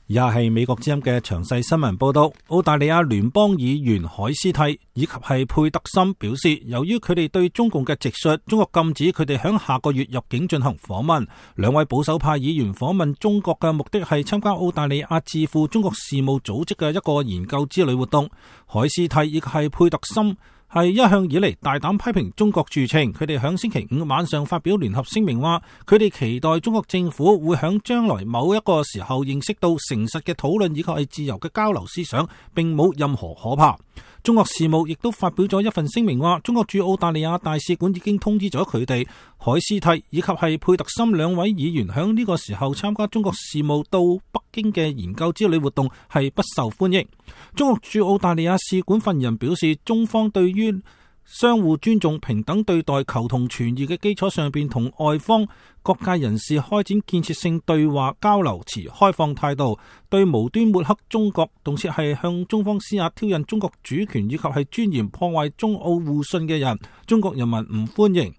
以下係美國之音嘅詳細新聞報道。澳大利亞聯邦議員海斯蒂以及係佩特森表示，由於佢哋對中共嘅直述，中國禁止佢哋響下個月入境進行訪問。兩位保守派議員訪問中國嘅目的係參加澳大利亞智庫中國事務組織嘅一個研究之旅活動。海斯蒂以及係佩特森係一向以嚟大膽批評中國著稱，佢哋響星期五晚上發表聯合聲明話，佢哋期待中國政府會響將來某一個時候認識到誠實嘅討論以及係自由嘅交流思想，並冇任何可怕。中國事務亦都發表咗一份聲明話，中國駐澳大利亞大使館已經通知咗佢哋，海斯蒂以及係佩特森兩位議員響呢個時候參加中國事務到北京嘅研究之旅活動係不受歡迎。中國駐澳大利亞使館發言人表示，中方對於相互尊重、平等對待、求同存異嘅基礎上邊，同外方各界人士開展建設性對話交流，持開放態度。對無端抹黑中國，同時係向中方施壓挑釁中國主權以及係尊嚴、破壞中澳互信嘅人，中國人民唔歡迎。